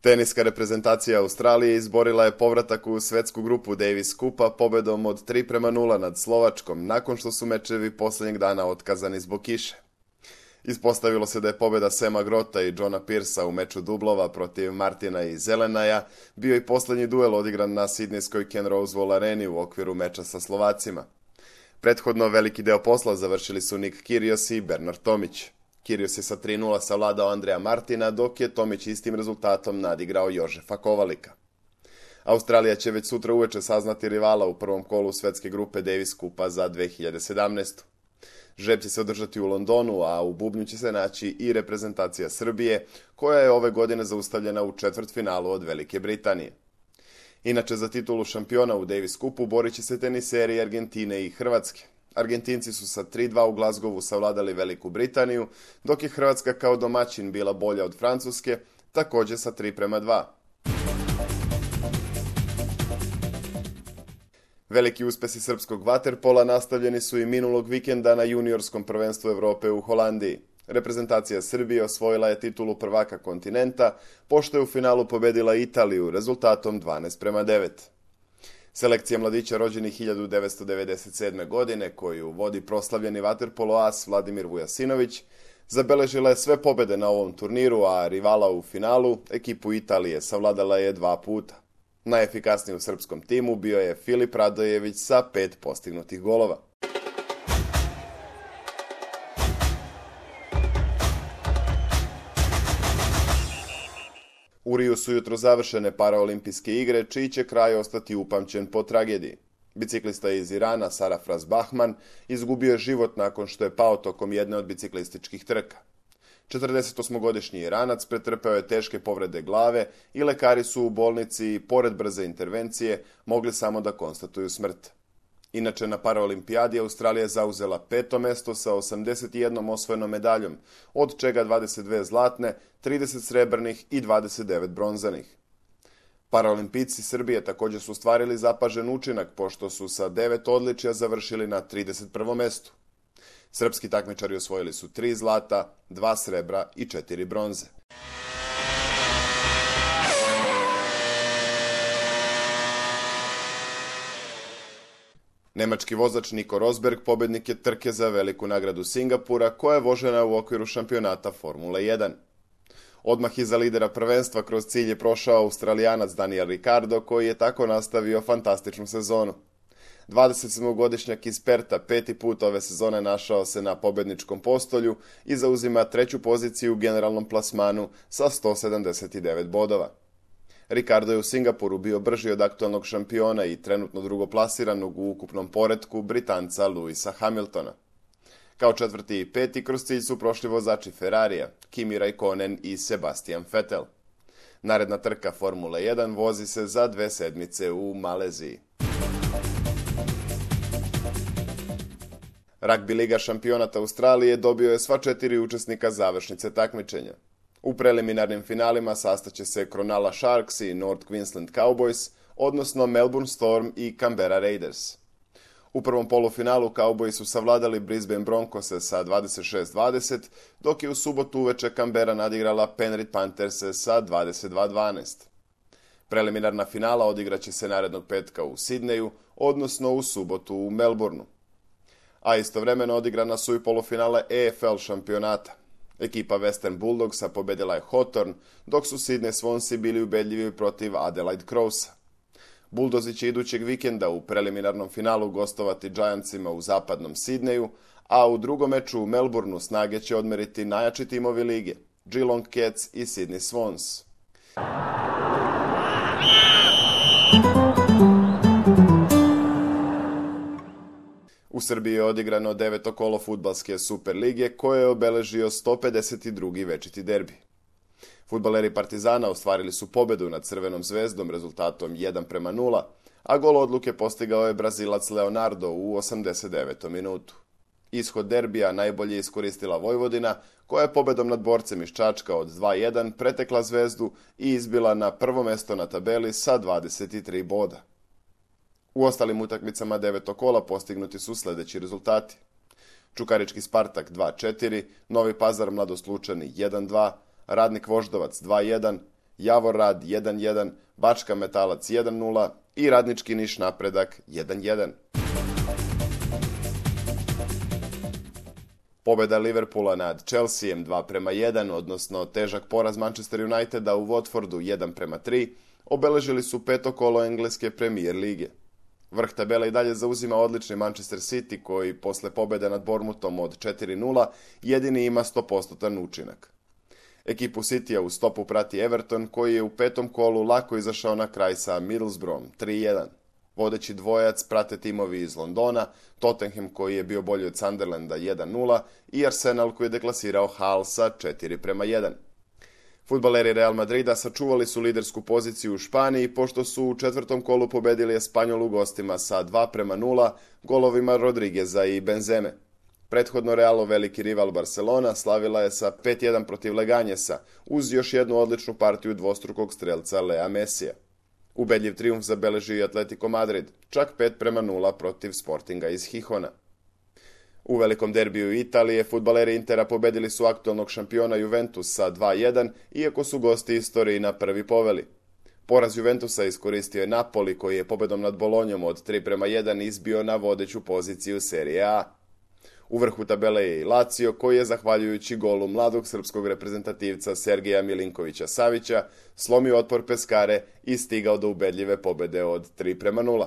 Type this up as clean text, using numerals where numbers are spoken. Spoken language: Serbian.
Teniska reprezentacija Australije izborila je povratak u svetsku grupu Davis Cupa pobedom od 3:0 nad Slovačkom, nakon što su mečevi posljednjeg dana otkazani zbog kiše. Ispostavilo se da je pobjeda Sema Grota i Johna Pearsa u meču dublova protiv Martina i Zelenaja bio i posljednji duel odigran na sidnejskoj Ken Rosewall areni u okviru meča sa Slovacima. Prethodno veliki deo posla završili su Nick Kyrgios i Bernard Tomić. Kyrgios je sa 3:0 savladao Andreja Martina, dok je Tomić istim rezultatom nadigrao Jožefa Kovalika. Australija će već sutra uveče saznati rivala u prvom kolu svetske grupe Davis Cupa za 2017. Žreb će se održati u Londonu, a u bubnju će se naći i reprezentacija Srbije, koja je ove godine zaustavljena u četvrtfinalu od Velike Britanije. Inače, za titulu šampiona u Davis Cupu borit će se teniseri Argentine i Hrvatske. Argentinci su sa 3:2 u Glasgowu savladali Veliku Britaniju, dok je Hrvatska kao domaćin bila bolja od Francuske, također sa 3:2. Veliki uspjesi srpskog vaterpola nastavljeni su i minulog vikenda na juniorskom prvenstvu Europe u Holandiji. Reprezentacija Srbije osvojila je titulu prvaka kontinenta, pošto je u finalu pobedila Italiju rezultatom 12:9. Selekcija mladića rođenih 1997. godine, koju vodi proslavljeni vaterpolo as Vladimir Vujasinović, zabeležila je sve pobjede na ovom turniru, a rivala u finalu, ekipu Italije, savladala je 2 puta. Najefikasniji u srpskom timu bio je Filip Radojević sa 5 postignutih golova. U Riju su jutro završene paraolimpijske igre, čiji će kraj ostati upamćen po tragediji. Biciklista iz Irana, Sarafraz Bahman, izgubio je život nakon što je pao tokom jedne od biciklističkih trka. 48-godišnji Iranac pretrpeo je teške povrede glave i lekari su u bolnici, pored brze intervencije, mogli samo da konstatuju smrt. Inače, na paraolimpijadi Australija je zauzela 5. mesto sa 81 osvojenom medaljom, od čega 22 zlatne, 30 srebrnih i 29 bronzanih. Paraolimpijci Srbije također su ostvarili zapažen učinak, pošto su sa 9 odličja završili na 31. mestu. Srpski takmičari osvojili su 3 zlata, 2 srebra i 4 bronze. Nemački vozač Nico Rosberg pobednik je trke za veliku nagradu Singapura, koja je vožena u okviru šampionata Formule 1. Odmah iza lidera prvenstva kroz cilj je prošao Australijanac Daniel Ricciardo, koji je tako nastavio fantastičnu sezonu. 27-godišnjak iz Perta 5. put ove sezone našao se na pobedničkom postolju i zauzima 3. poziciju u generalnom plasmanu sa 179 bodova. Ricardo je u Singapuru bio brži od aktualnog šampiona i trenutno drugoplasiranog u ukupnom poretku Britanca Lewisa Hamiltona. Kao 4. i 5. kroz cilj su prošli vozači Ferrarija, Kimi Raikkonen i Sebastian Vettel. Naredna trka Formule 1 vozi se za 2 sedmice u Maleziji. Ragbi liga šampionata Australije dobio je sva 4 učesnika završnice takmičenja. U preliminarnim finalima sastaće se Cronulla Sharks i North Queensland Cowboys, odnosno Melbourne Storm i Canberra Raiders. U prvom polufinalu Cowboys su savladali Brisbane Broncose sa 26-20, dok je u subotu uveče Canberra nadigrala Penrith Pantherse sa 22-12. Preliminarna finala odigraće se narednog petka u Sidneju, odnosno u subotu u Melbourneu. A istovremeno odigrana su i polufinale EFL šampionata. Ekipa Western Bulldogsa pobedila je Hawthorn, dok su Sydney Swansea bili ubedljivi protiv Adelaide Crowsa. Bulldozi će idućeg vikenda u preliminarnom finalu gostovati Giantsima u zapadnom Sydneyu, a u drugom meču u Melbourneu snage će odmeriti najjači timovi lige, Geelong Cats i Sydney Swans. U Srbiji je odigrano 9. kolo fudbalske Super lige, koje je obeležio 152. večiti derbi. Fudbaleri Partizana ostvarili su pobedu nad Crvenom zvezdom rezultatom 1:0, a gol odluke postigao je Brazilac Leonardo u 89. minutu. Ishod derbija najbolje je iskoristila Vojvodina, koja je pobedom nad Borcem iz Čačka od 2:1 pretekla Zvezdu i izbila na prvo mesto na tabeli sa 23 boda. U ostalim utakmicama 9. kola postignuti su sljedeći rezultati: Čukarički Spartak 2:4, Novi Pazar Mladost Lučani 1:2, Radnik Voždovac 2:1, Javor Rad 1-1, Bačka Metalac 1-0 i Radnički Niš Napredak 1-1. Pobjeda Liverpoola nad Chelseaem 2-1, odnosno težak poraz Manchester Uniteda u Watfordu 1-3, obeležili su peto kolo engleske Premier lige. Vrh tabele i dalje zauzima odlični Manchester City koji posle pobjede nad Bournemouthom od 4-0 jedini ima 100% učinak. Ekipu Citya u stopu prati Everton koji je u petom kolu lako izašao na kraj sa Middlesbroughom 3-1. Vodeći dvojac prate timovi iz Londona, Tottenham koji je bio bolji od Sunderlanda 1-0 i Arsenal koji je deklasirao Hull sa 4-1. Fudbaleri Real Madrida sačuvali su lidersku poziciju u Španiji pošto su u četvrtom kolu pobedili Espanjol u gostima sa 2-0 golovima Rodrigueza i Benzeme. Prethodno Realov veliki rival Barcelona slavila je sa 5-1 protiv Leganjesa uz još jednu odličnu partiju dvostrukog strelca Lea Messija. Ubedljiv trijumf zabeleži i Atletico Madrid, čak 5-0 protiv Sportinga iz Gijona. U velikom derbiju Italije fudbaleri Intera pobedili su aktualnog šampiona Juventus sa 2-1, iako su gosti istoriji na prvi poveli. Poraz Juventusa iskoristio je Napoli koji je pobedom nad Bolonjom od 3-1 izbio na vodeću poziciju Serije A. U vrhu tabele je i Lazio koji je, zahvaljujući golu mladog srpskog reprezentativca Sergeja Milinkovića Savića, slomio otpor Peskare i stigao do ubedljive pobede od 3-0.